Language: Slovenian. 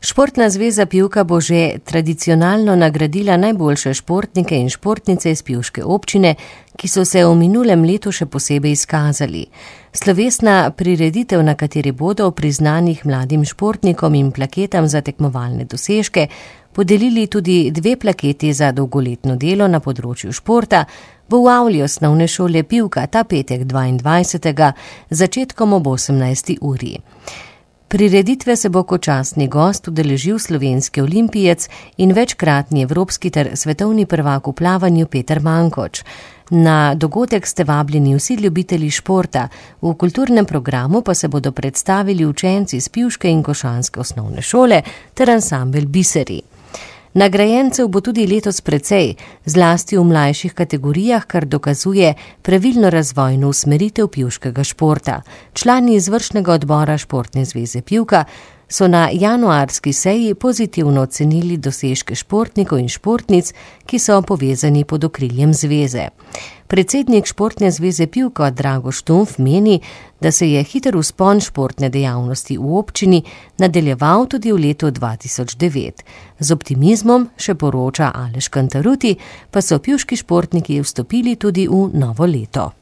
Športna zveza Pivka bo že tradicionalno nagradila najboljše športnike in športnice iz pivške občine, ki so se v minulem letu še posebej izkazali. Slovesna prireditev, na kateri bodo priznanih mladim športnikom in plaketam za tekmovalne dosežke podelili tudi 2 plaketi za dolgoletno delo na področju športa, bo v avli osnovne šole Pivka ta petek 22. začetkom ob 18. uri. Prireditve se bo kot častni gost udeležil slovenski olimpijec in večkratni evropski ter svetovni prvak v plavanju Peter Mankoč. Na dogodek ste vabljeni vsi ljubitelji športa, v kulturnem programu pa se bodo predstavili učenci iz pivške in košanske osnovne šole ter ansambel Biseri. Nagrajencev bo tudi letos precej, zlasti v mlajših kategorijah, kar dokazuje pravilno razvojno usmeritev pivškega športa. Člani izvršnega odbora Športne zveze Pivka so na januarski seji pozitivno ocenili dosežke športnikov in športnic, ki so povezani pod okriljem zveze. Predsednik Športne zveze Pivka Drago Štumf meni, da se je hiter vzpon športne dejavnosti v občini nadaljeval tudi v letu 2009. Z optimizmom, še poroča Aleš Kantaruti, pa so pivški športniki vstopili tudi v novo leto.